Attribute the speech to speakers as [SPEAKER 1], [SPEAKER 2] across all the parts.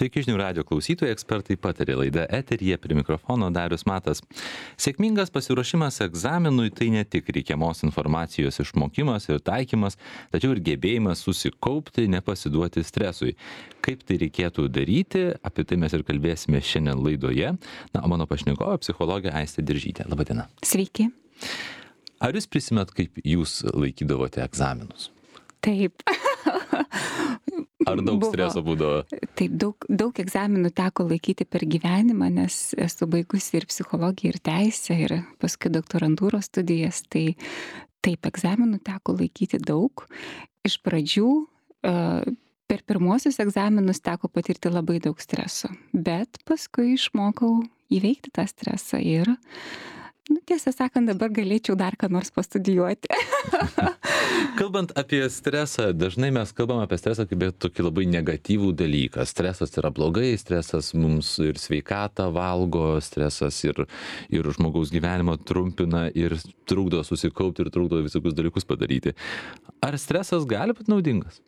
[SPEAKER 1] Sveiki žinių radio klausytojai, ekspertai patarė laida eteryje, prie mikrofono Darius Matas. Sėkmingas pasiruošimas egzaminui tai ne tik reikiamos informacijos išmokimas ir taikymas, tačiau ir gebėjimas susikaupti, nepasiduoti stresui. Kaip tai reikėtų daryti, apie tai mes ir kalbėsime šiandien laidoje. Na, o mano pašnekovė psichologė Aistė Diržytė. Labadiena.
[SPEAKER 2] Sveiki.
[SPEAKER 1] Ar jūs prisimenat, kaip jūs laikydavote egzaminus?
[SPEAKER 2] Taip.
[SPEAKER 1] Ar daug streso būdavo?
[SPEAKER 2] Taip, daug egzaminų teko laikyti per gyvenimą, nes esu baigusi ir psichologiją, ir teisę, ir paskui doktorantūros studijas. Tai taip, egzaminų teko laikyti daug. Iš pradžių per pirmuosius egzaminus teko patirti labai daug streso, bet paskui išmokau įveikti tą stresą ir, tiesą sakant, dabar galėčiau dar ką nors pastudijuoti.
[SPEAKER 1] Kalbant apie stresą, dažnai mes kalbam apie stresą kaip tokį labai negatyvų dalyką. Stresas yra blogai, stresas mums ir sveikatą valgo, stresas ir žmogaus gyvenimą trumpina ir trukdo susikaupti ir trukdo visokius dalykus padaryti. Ar stresas gali būti naudingas?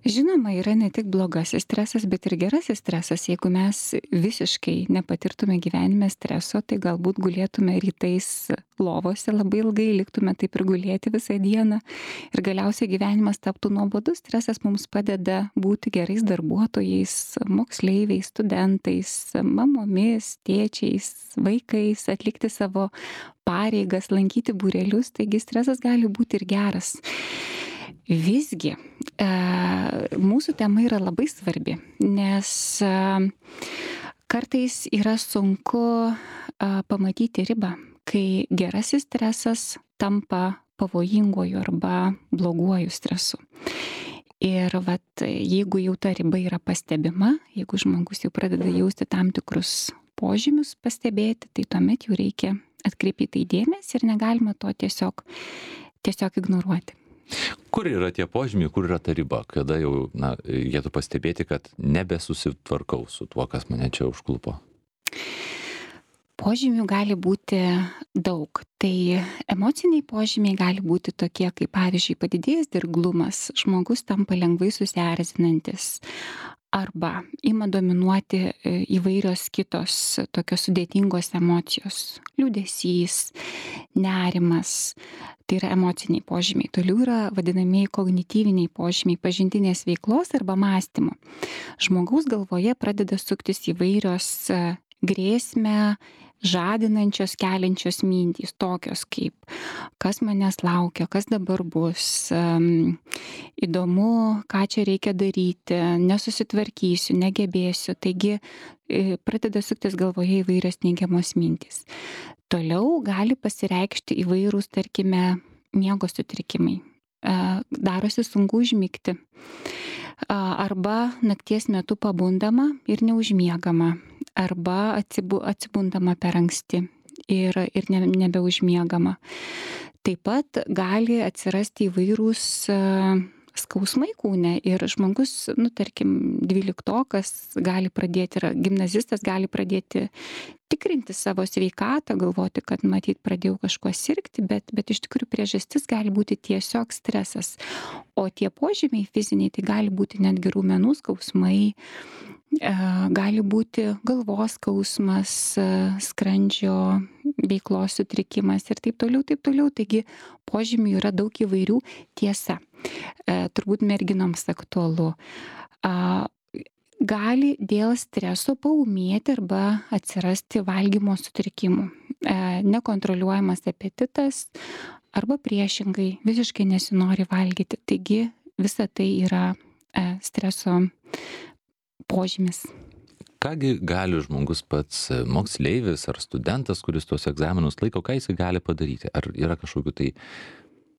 [SPEAKER 2] Žinoma, yra ne tik blogasis stresas, bet ir gerasis stresas. Jeigu mes visiškai nepatirtume gyvenime streso, tai galbūt gulėtume rytais lovose labai ilgai, liktume taip ir gulėti visą dieną ir galiausiai gyvenimas taptų nuobodus. Stresas mums padeda būti gerais darbuotojais, moksleiviais, studentais, mamomis, tėčiais, vaikais, atlikti savo pareigas, lankyti būrelius, taigi stresas gali būti ir geras. Visgi, mūsų tema yra labai svarbi, nes kartais yra sunku pamatyti ribą, kai gerasis stresas tampa pavojinguoju arba bloguoju stresu. Ir jeigu jau ta riba yra pastebima, jeigu žmogus jau pradeda jausti tam tikrus požymius pastebėti, tai tuomet jau reikia atkreipti tai dėmesį ir negalima to tiesiog ignoruoti.
[SPEAKER 1] Kur yra tie požymiai, kur yra ta riba, kada jau reikėtų pastebėti, kad nebesusitvarkau su tuo, kas mane čia užklupo?
[SPEAKER 2] Požymių gali būti daug. Tai emociniai požymiai gali būti tokie, kaip pavyzdžiui padidėjęs dirglumas, žmogus tampa lengvai susierzinantis arba ima dominuoti įvairios kitos tokios sudėtingos emocijos, liūdesys, nerimas. Tai yra emociniai požymiai. Toliau yra vadinamieji kognityviniai požymiai pažintinės veiklos arba mąstymo. Žmogaus galvoje pradeda suktis įvairios grėsmę žadinančios, keliančios mintys, tokios kaip kas manęs laukia, kas dabar bus, įdomu, ką čia reikia daryti, nesusitvarkysiu, negebėsiu. Taigi pradeda suktis galvoje įvairios neigiamos mintys. Toliau gali pasireikšti įvairūs, tarkime, miego sutrikimai. Darosi sunku užmigti. Arba nakties metu pabundama ir neužmiegama. Arba atsibundama per anksti ir nebeužmiegama. Taip pat gali atsirasti įvairūs skausmai kūne ir žmogus, tarkim, 12-okas gali pradėti, gimnazistas gali pradėti tikrinti savo sveikatą, galvoti, kad matyt pradėjau kažkuo sirgti, bet iš tikrųjų priežastis gali būti tiesiog stresas. O tie požymiai fiziniai, tai gali būti netgi raumenų skausmai, gali būti galvos skausmas, skrandžio veiklos sutrikimas ir taip toliau. Taigi požymių yra daug įvairių. Tiesa, turbūt merginoms aktualu. Gali dėl streso paūmėti arba atsirasti valgymo sutrikimų, nekontroliuojamas apetitas arba priešingai visiškai nesinori valgyti. Taigi visa tai yra streso požymis.
[SPEAKER 1] Kągi gali žmogus pats, moksleivis ar studentas, kuris tuos egzaminus laiko, ką jis gali padaryti? Ar yra kažkokių tai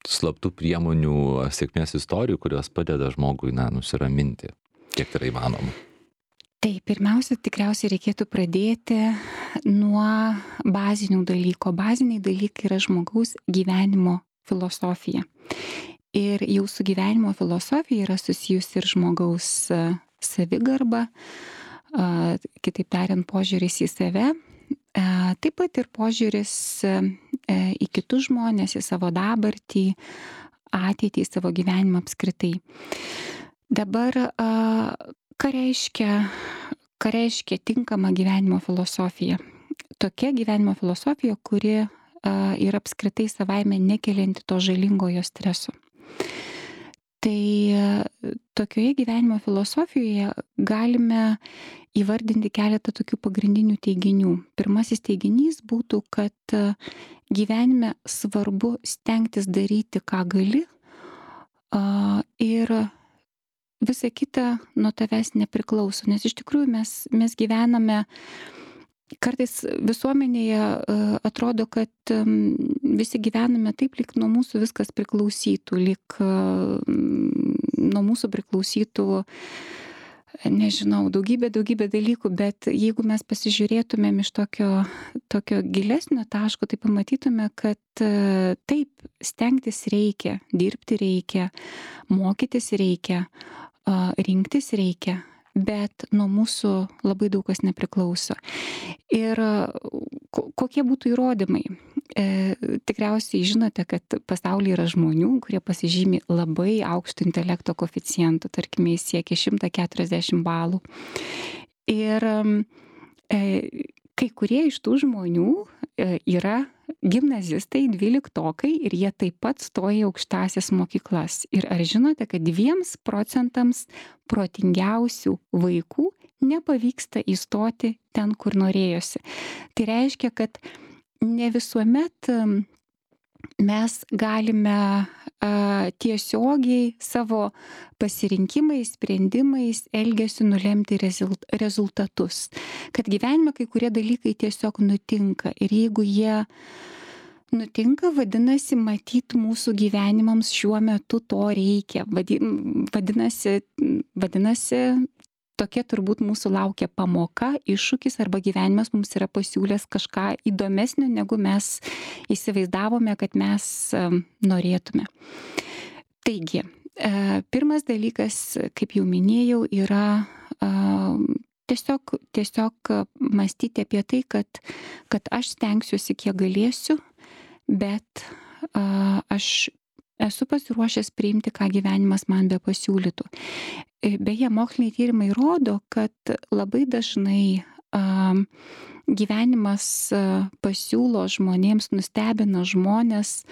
[SPEAKER 1] slaptų priemonių, sėkmės istorijų, kurios padeda žmogui nusiraminti, kiek tai yra įmanoma?
[SPEAKER 2] Tai pirmiausia, tikriausiai reikėtų pradėti nuo bazinių dalykų. Baziniai dalykai yra žmogaus gyvenimo filosofija. Ir jau su gyvenimo filosofija yra susijusi ir žmogaus savigarba, kitaip tariant, požiūris į save, taip pat ir požiūris į kitus žmonės, į savo dabartį, ateitį, į savo gyvenimą apskritai. Dabar ką reiškia tinkama gyvenimo filosofija? Tokia gyvenimo filosofija, kuri yra apskritai savaime nekelianti to žalingojo streso. Tai tokioje gyvenimo filosofijoje galime įvardinti keletą tokių pagrindinių teiginių. Pirmasis teiginys būtų, kad gyvenime svarbu stengtis daryti, ką gali, ir visa kita nuo tavęs nepriklauso. Nes iš tikrųjų mes gyvename, kartais visuomenėje atrodo, kad visi gyvename taip, lyg nuo mūsų viskas priklausytų, lyg nuo mūsų priklausytų, nežinau, daugybė dalykų, bet jeigu mes pasižiūrėtumėm iš tokio gilesnio taško, tai pamatytume, kad taip, stengtis reikia, dirbti reikia, mokytis reikia, rinktis reikia, bet nuo mūsų labai daug kas nepriklauso. Ir kokie būtų įrodymai? Tikriausiai žinote, kad pasaulyje yra žmonių, kurie pasižymi labai aukštų intelekto koeficientų, tarkime, jis siekia 140 balų. Ir kai kurie iš tų žmonių yra gimnazistai, 12-tokai, ir jie taip pat stoja į aukštąsias mokyklas. Ir ar žinote, kad 2% protingiausių vaikų nepavyksta įstoti ten, kur norėjosi? Tai reiškia, kad ne visuomet mes galime tiesiogiai savo pasirinkimais, sprendimais, elgesiu nulemti rezultatus. Kad gyvenime kai kurie dalykai tiesiog nutinka. Ir jeigu jie nutinka, vadinasi, matyt, mūsų gyvenimams šiuo metu to reikia. Vadinasi, tokia turbūt mūsų laukia pamoka, iššūkis, arba gyvenimas mums yra pasiūlęs kažką įdomesnio, negu mes įsivaizdavome, kad mes norėtume. Taigi, pirmas dalykas, kaip jau minėjau, yra tiesiog mąstyti apie tai, kad aš stengsiuosi, kiek galėsiu, bet aš esu pasiruošęs priimti, ką gyvenimas man be pasiūlytų. Beje, moksliniai tyrimai rodo, kad labai dažnai gyvenimas pasiūlo žmonėms, nustebina žmonės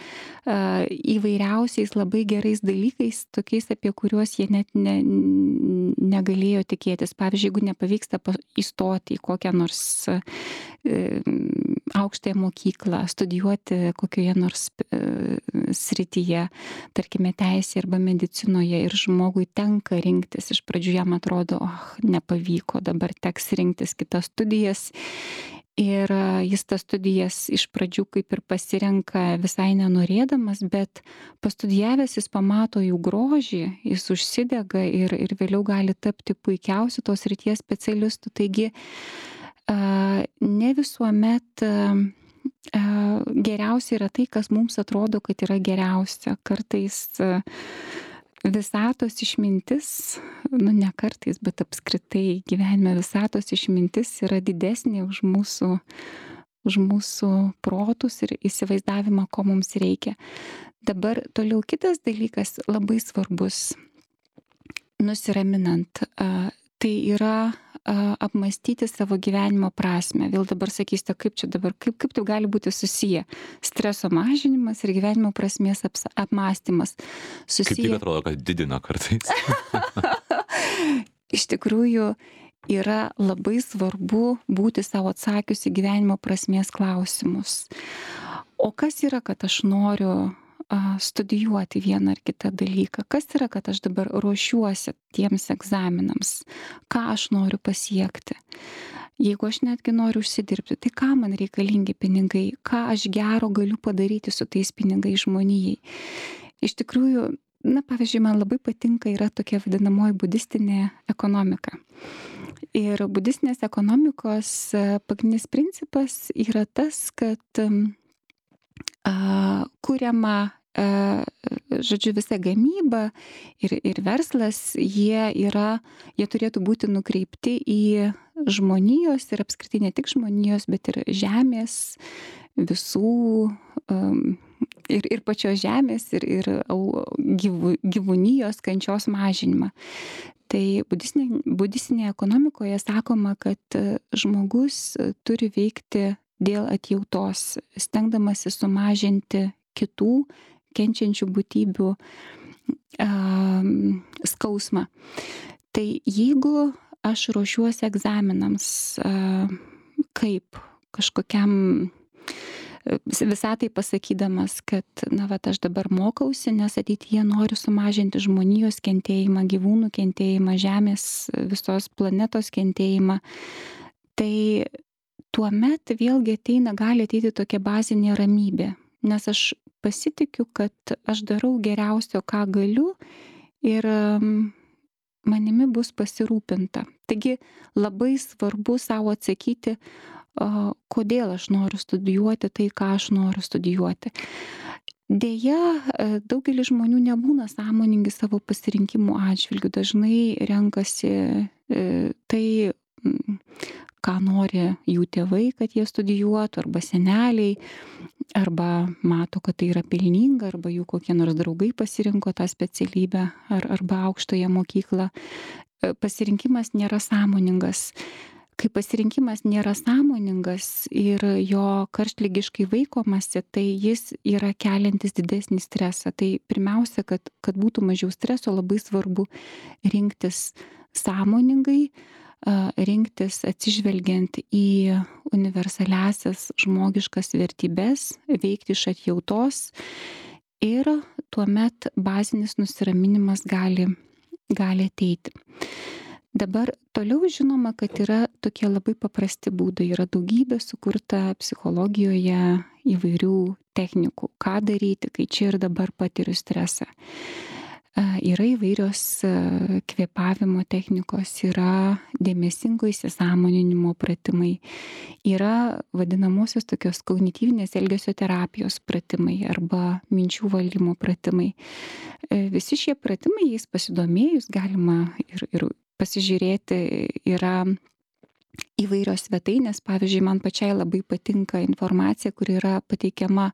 [SPEAKER 2] įvairiausiais labai gerais dalykais, tokiais, apie kuriuos jie net negalėjo tikėtis. Pavyzdžiui, jeigu nepavyksta įstoti į kokią nors aukštąją mokyklą, studijuoti kokioje nors srityje, tarkime teisėje arba medicinoje, ir žmogui tenka rinktis. Iš pradžių jam atrodo, nepavyko, dabar teks rinktis kitas studijas. Ir jis tas studijas iš pradžių kaip ir pasirenka visai nenorėdamas, bet pastudijavęs jis pamato jų grožį, jis užsidega ir vėliau gali tapti puikiausiu tos srities specialistu. Taigi ne visuomet geriausia yra tai, kas mums atrodo, kad yra geriausia. Kartais visatos išmintis, ne kartais, bet apskritai gyvenime visatos išmintis yra didesnė už mūsų protus ir įsivaizdavimą, ko mums reikia. Dabar toliau kitas dalykas labai svarbus, nusiraminant, tai yra apmąstyti savo gyvenimo prasmę. Vėl dabar sakysite, kaip tai gali būti susiję? Streso mažinimas ir gyvenimo prasmės apmąstymas.
[SPEAKER 1] Kaip tik atrodo, kad didina kartais.
[SPEAKER 2] Iš tikrųjų, yra labai svarbu būti savo atsakius į gyvenimo prasmės klausimus. O kas yra, kad aš noriu studijuoti vieną ar kitą dalyką? Kas yra, kad aš dabar ruošiuosi tiems egzaminams? Ką aš noriu pasiekti? Jeigu aš netgi noriu užsidirbti, tai ką man reikalingi pinigai? Ką aš gero galiu padaryti su tais pinigais žmonijai? Iš tikrųjų, pavyzdžiui, man labai patinka yra tokia vadinamoji budistinė ekonomika. Ir budistinės ekonomikos pagrindinis principas yra tas, kad kuriama, žodžiu, visa gamyba ir verslas, jie turėtų būti nukreipti į žmonijos ir apskritai ne tik žmonijos, bet ir žemės, visų ir pačios žemės, ir gyvūnijos kančios mažinimą. Tai budistinėje ekonomikoje sakoma, kad žmogus turi veikti dėl atjautos, stengdamasi sumažinti kitų kenčiančių būtybių skausmą. Tai jeigu aš ruošiuosi egzaminams kaip kažkokiam visatai pasakydamas, kad aš dabar mokausi, nes ateityje noriu sumažinti žmonijos kentėjimą, gyvūnų kentėjimą, žemės visos planetos kentėjimą, tai tuomet vėlgi gali ateiti tokia bazinė ramybė, nes aš pasitikiu, kad aš darau geriausio, ką galiu ir manimi bus pasirūpinta. Taigi labai svarbu savo atsakyti, kodėl aš noriu studijuoti tai, ką aš noriu studijuoti. Deja, daugelis žmonių nebūna sąmoningi savo pasirinkimų atžvilgių, dažnai renkasi tai, ką nori jų tėvai, kad jie studijuotų, arba seneliai, arba mato, kad tai yra pelninga, arba jų kokie nors draugai pasirinko tą specialybę, arba aukštąją mokyklą. Pasirinkimas nėra sąmoningas. Kai pasirinkimas nėra sąmoningas ir jo karštligiškai vaikomasi, tai jis yra keliantis didesnį stresą. Tai pirmiausia, kad būtų mažiau streso, labai svarbu rinktis sąmoningai, rinktis atsižvelgiant į universaliasias žmogiškas vertybes, veikti iš atjautos ir tuomet bazinis nusiraminimas gali ateiti. Dabar toliau žinoma, kad yra tokie labai paprasti būdai, yra daugybė sukurta psichologijoje įvairių technikų, ką daryti, kai čia ir dabar patiriu stresą. Yra įvairios kvėpavimo technikos, yra dėmesingo įsisąmoninimo pratimai, yra vadinamosios tokios kognityvinės elgesio terapijos pratimai arba minčių valdymo pratimai. Visi šie pratimai, jais pasidomėjus, galima ir pasižiūrėti, yra įvairios svetainės. Pavyzdžiui, man pačiai labai patinka informacija, kuri yra pateikiama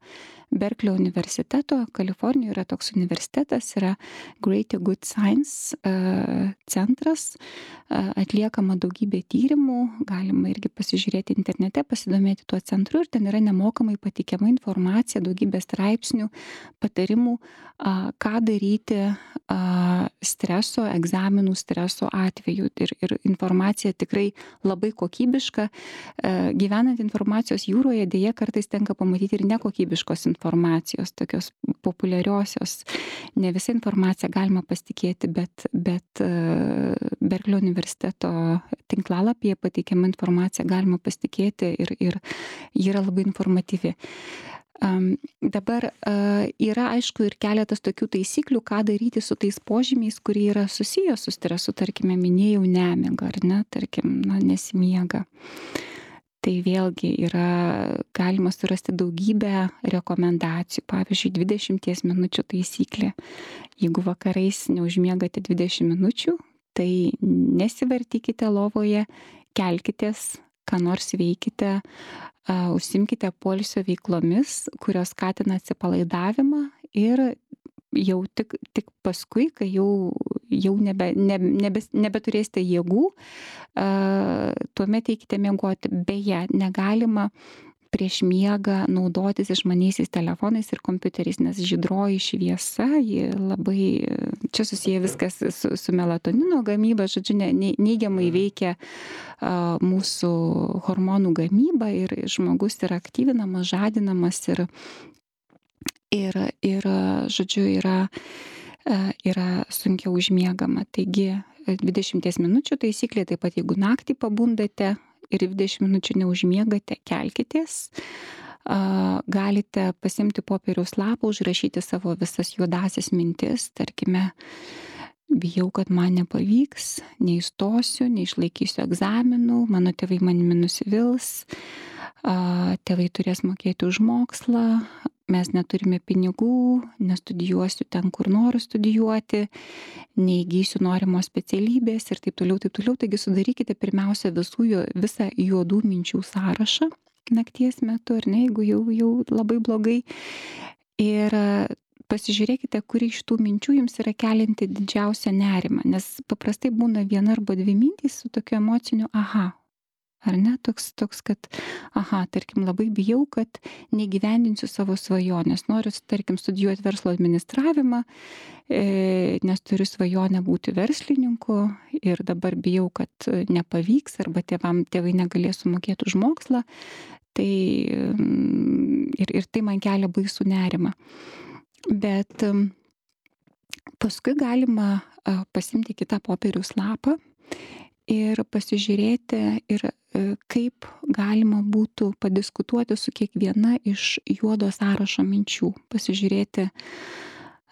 [SPEAKER 2] Berklio universiteto, Kalifornijoje yra toks universitetas, yra Greater Good Science centras, atliekama daugybė tyrimų, galima irgi pasižiūrėti internete, pasidomėti tuo centru ir ten yra nemokamai pateikiama informacija, daugybė straipsnių, patarimų, ką daryti streso, egzaminų streso atveju. Ir informacija tikrai labai kokybiška. Gyvenant informacijos jūroje, deja kartais tenka pamatyti ir nekokybiškos informacijos, tokios populiariosios. Ne visą informaciją galima pasitikėti, bet Berklio universiteto tinklalapyje pateikiama informacija galima pasitikėti ir ji yra labai informatyvi. Dabar yra aišku ir keletas tokių taisyklių, ką daryti su tais požymiais, kurie yra susiję su stresu, tarkime, minėjau nemigą, ar ne, tarkim, nesimiega. Tai vėlgi yra galima surasti daugybę rekomendacijų, pavyzdžiui, 20 minučių taisyklė. Jeigu vakarais neužmiegate 20 minučių, tai nesivartykite lovoje, kelkitės, ką nors veikite, užsimkite poilsio veiklomis, kurios skatina atsipalaidavimą ir jau tik paskui, kai jau nebeturėsite jėgų, tuomet eikite miegoti. Beje, negalima prieš miegą naudotis išmaniaisiais telefonais ir kompiuteriais, nes žydroji šviesa, ji labai, čia susiję viskas su melatonino gamyba, žodžiu, neigiamai veikia mūsų hormonų gamybą ir žmogus yra aktyvinamas, žadinamas ir žodžiu, yra sunkiau užmiegama. Taigi 20 minučių taisyklė, taip pat jeigu naktį pabundate ir 20 minučių neužmiegate, kelkitės. Galite pasimti popieriaus lapą, užrašyti savo visas juodasias mintis, tarkime, bijau, kad man nepavyks, neįstosiu, neišlaikysiu egzaminų, mano tėvai manimi nusivils, tėvai turės mokėti už mokslą, mes neturime pinigų, nestudijuosiu ten, kur noriu studijuoti, neįgysiu norimos specialybės ir taip toliau, taip toliau. Taigi sudarykite pirmiausia visą juodų minčių sąrašą nakties metu, ar ne, jeigu jau labai blogai. Ir pasižiūrėkite, kuri iš tų minčių jums yra kelianti didžiausią nerimą, nes paprastai būna viena arba dvi mintys su tokiu emociniu aha. Ar ne? Toks, kad, tarkim, labai bijau, kad negyvendinsiu savo svajonės. Noriu, tarkim, studijuoti verslo administravimą, nes turiu svajonę būti verslininku ir dabar bijau, kad nepavyks arba tėvai negalės sumokėti už mokslą. Tai ir tai man kelia baisų nerimą. Bet paskui galima pasimti kitą popieriaus lapą ir pasižiūrėti ir kaip galima būtų padiskutuoti su kiekviena iš juodo sąrašo minčių. Pasižiūrėti,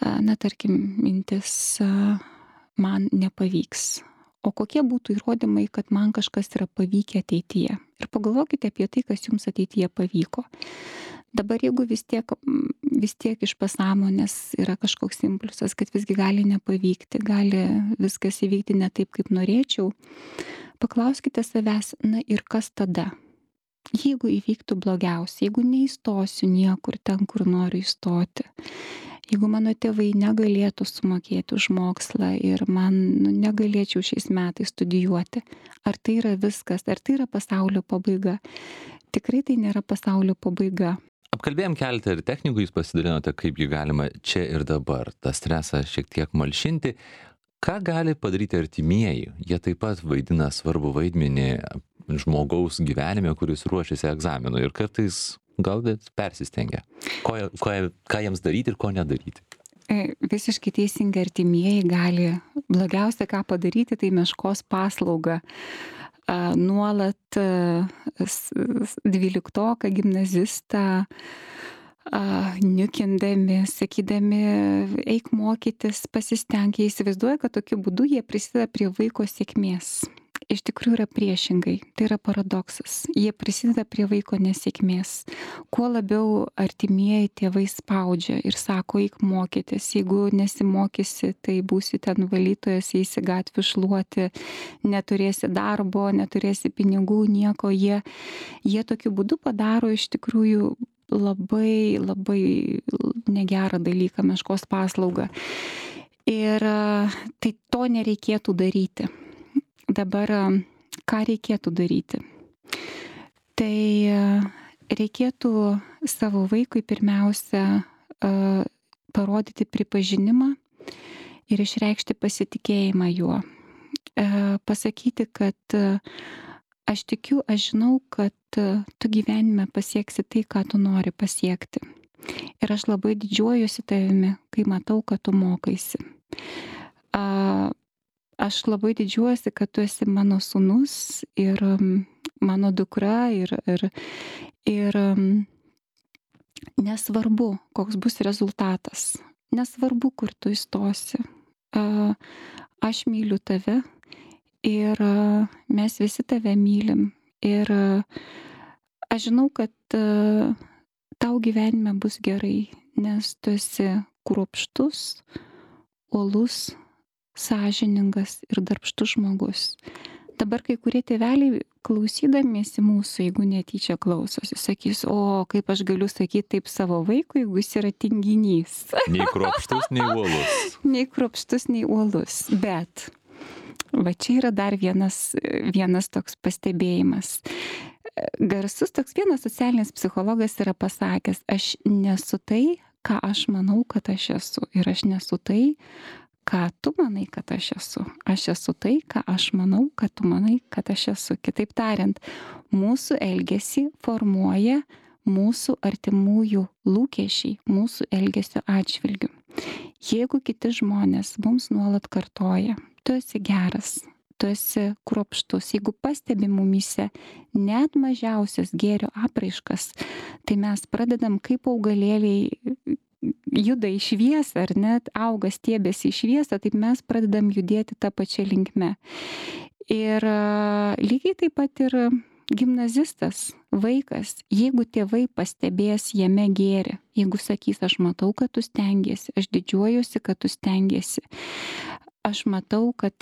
[SPEAKER 2] tarkim, mintis man nepavyks. O kokie būtų įrodymai, kad man kažkas yra pavykę ateityje. Ir pagalvokite apie tai, kas jums ateityje pavyko. Dabar jeigu vis tiek iš pasąmonės yra kažkoks impulsas, kad visgi gali nepavykti, gali viskas įvykti ne taip, kaip norėčiau, paklauskite savęs, ir kas tada? Jeigu įvyktų blogiausia, jeigu neįstosiu niekur ten, kur noriu įstoti, jeigu mano tėvai negalėtų sumokėti už mokslą ir man negalėčiau šiais metais studijuoti, ar tai yra viskas, ar tai yra pasaulio pabaiga? Tikrai tai nėra pasaulio pabaiga.
[SPEAKER 1] Apkalbėjom keletą ir technikų, jūs pasidalinote, kaip jį galima čia ir dabar tą stresą šiek tiek malšinti. Ką gali padaryti artimieji? Jie taip pat vaidina svarbų vaidmenį žmogaus gyvenime, kuris ruošiasi egzaminui ir kartais gal persistengia. Ką jiems daryti ir ko nedaryti?
[SPEAKER 2] Visiškai teisingai, artimieji gali blogiausia ką padaryti, tai meškos paslaugą. Nuolat 12-oką gimnazistą niukindami, sakydami, eik mokytis, pasistenk, jie įsivaizduoja, kad tokiu būdu jie prisideda prie vaiko sėkmės. Iš tikrųjų yra priešingai, tai yra paradoksas. Jie prisideda prie vaiko nesėkmės. Kuo labiau artimieji tėvai spaudžia ir sako, eik mokytis, jeigu nesimokysi, tai būsi ten valytojas, eisi gatvių šluoti, neturėsi darbo, neturėsi pinigų, nieko. Jie tokiu būdu padaro iš tikrųjų labai, labai negerą dalyką, meškos paslaugą. Ir tai to nereikėtų daryti. Dabar ką reikėtų daryti? Tai reikėtų savo vaikui pirmiausia parodyti pripažinimą ir išreikšti pasitikėjimą juo. Pasakyti, kad aš tikiu, aš žinau, kad tu gyvenime pasieksi tai, ką tu nori pasiekti. Ir aš labai didžiuojuosi tavimi, kai matau, kad tu mokaisi. Aš labai didžiuosi, kad tu esi mano sūnus ir mano dukra ir nesvarbu, koks bus rezultatas, nesvarbu, kur tu įstosi. Aš myliu tave ir mes visi tave mylim. Ir aš žinau, kad tau gyvenime bus gerai, nes tu esi kruopštus, uolus, sąžiningas ir darbštus žmogus. Dabar kai kurie tėveliai klausydamiesi mūsų, jeigu netyčia klausosi, sakys, o kaip aš galiu sakyti taip savo vaikui, jeigu jis yra tinginys.
[SPEAKER 1] Nei kruopštus, nei uolus.
[SPEAKER 2] Nei kruopštus, nei uolus. Bet va čia yra dar vienas toks pastebėjimas. Garsus toks vienas socialinis psichologas yra pasakęs, aš nesu tai, ką aš manau, kad aš esu. Ir aš nesu tai, ką tu manai, kad aš esu. Aš esu tai, ką aš manau, kad tu manai, kad aš esu. Kitaip tariant, mūsų elgesį formuoja mūsų artimųjų lūkesčiai, mūsų elgesio atžvilgių. Jeigu kiti žmonės mums nuolat kartoja, tu esi geras, tu esi kruopštus, jeigu pastebi mumyse net mažiausias gėrio apraiškas, tai mes pradedam kaip augalėliai juda į šviesą, ar net auga stiebėsi į šviesą, taip mes pradedam judėti tą pačią linkmę. Ir lygiai taip pat ir gimnazistas, vaikas, jeigu tėvai pastebės jame gėrį, jeigu sakys, aš matau, kad tu stengiesi, aš didžiuojuosi, kad tu stengiesi, aš matau, kad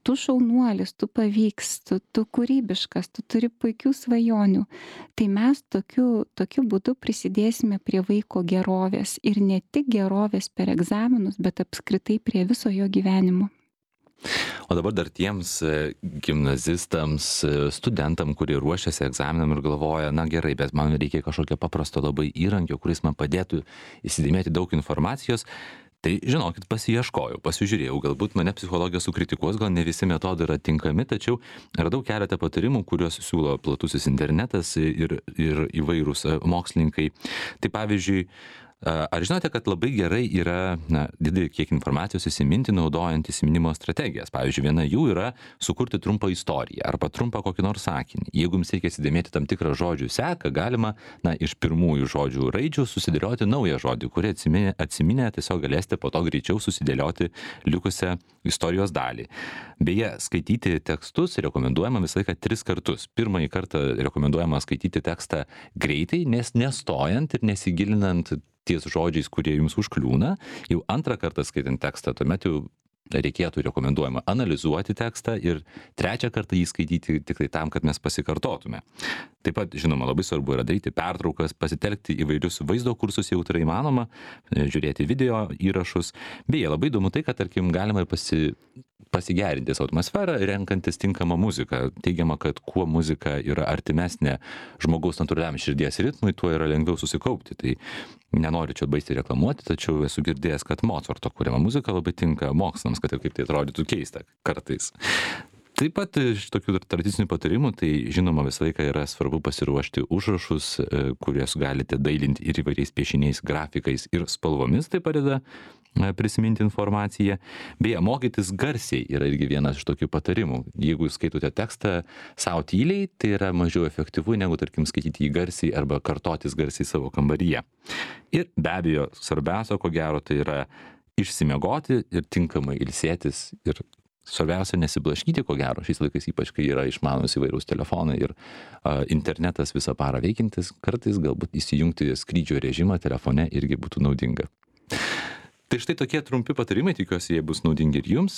[SPEAKER 2] tu šaunuolis, tu pavyks, tu kūrybiškas, tu turi puikių svajonių. Tai mes tokiu būdu prisidėsime prie vaiko gerovės ir ne tik gerovės per egzaminus, bet apskritai prie viso jo gyvenimo.
[SPEAKER 1] O dabar dar tiems gimnazistams, studentam, kurie ruošiasi egzaminam ir galvoja, na gerai, bet man reikia kažkokio paprasto labai įrankio, kuris man padėtų įsidėmėti daug informacijos. Tai žinokit, pasiieškojau, pasižiūrėjau, galbūt mane psichologija sukritikuos, gal ne visi metodai yra tinkami, tačiau radau keletą patarimų, kuriuos siūlo platusis internetas ir įvairūs mokslininkai. Tai pavyzdžiui, ar žinote, kad labai gerai yra didelį kiek informacijos įsiminti naudojant įsiminimo strategijas? Pavyzdžiui, viena jų yra sukurti trumpą istoriją arba trumpą kokį nors sakinį. Jeigu jums reikia įsidėmėti tam tikrą žodžių seką, galima iš pirmųjų žodžių raidžių susidėlioti naują žodį, kurį atsiminę tiesiog galėsite po to greičiau susidėlioti likusią istorijos dalį. Beje, skaityti tekstus rekomenduojama visą laiką 3 kartus. Pirmąjį kartą rekomenduojama skaityti tekstą greitai, nestojant ir nesigilinant ties žodžiais, kurie jums užkliūna. Jau antrą kartą skaitant tekstą, tuomet jau rekomenduojama analizuoti tekstą ir trečią kartą jį skaityti tik tai tam, kad mes pasikartotume. Taip pat, žinoma, labai svarbu yra daryti pertraukas, pasitelkti įvairius vaizdo kursus, jau tai įmanoma, žiūrėti video įrašus. Beje, labai įdomu tai, kad, tarkim, galima ir pasigerinti savo atmosferą, renkantis tinkamą muziką. Teigiama, kad kuo muzika yra artimesnė žmogaus natūraliam širdies ritmui, tuo yra lengviau susikaupti. Tai nenoriu čia baisiai reklamuoti, tačiau esu girdėjęs, kad Mozarto kuriama muzika labai tinka mokslams, kad ir kaip tai atrodytų keista kartais. Taip pat iš tokių tradicinių patarimų, tai žinoma visą laiką yra svarbu pasiruošti užrašus, kuriuos galite dailinti ir įvairiais piešiniais, grafikais ir spalvomis, tai padeda prisiminti informaciją. Beje, mokytis garsiai yra irgi vienas iš tokių patarimų. Jeigu jūs skaitote tekstą savo tyliai, tai yra mažiau efektyvu negu, tarkim, skaityti jį garsiai arba kartotis garsiai savo kambaryje. Ir be abejo, svarbiausia, ko gero, tai yra išsimiegoti ir tinkamai ilsėtis ir svarbiausia nesiblaškyti, ko gero, šiais laikais ypač, kai yra išmanus įvairūs telefonai ir internetas visą parą veikintis, kartais galbūt įsijungti skrydžio režimą telefone irgi būtų naudinga. Tai štai tokie trumpi patarimai, tikiuosi, jie bus naudingi ir jums.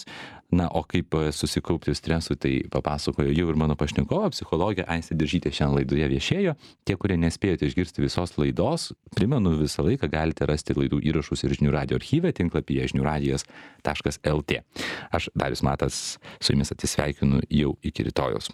[SPEAKER 1] Na, o kaip susikaupti stresui, tai papasakojo jau ir mano pašnekovė, psichologė Aistė Diržytė šiandien laidoje viešėjo. Tie, kurie nespėjote išgirsti visos laidos, primenu, visą laiką galite rasti laidų įrašus ir Žinių radijo archyve tinklapyje žiniųradijas.lt. Aš, Darius Matas, su jumis atsisveikinu jau iki rytojaus.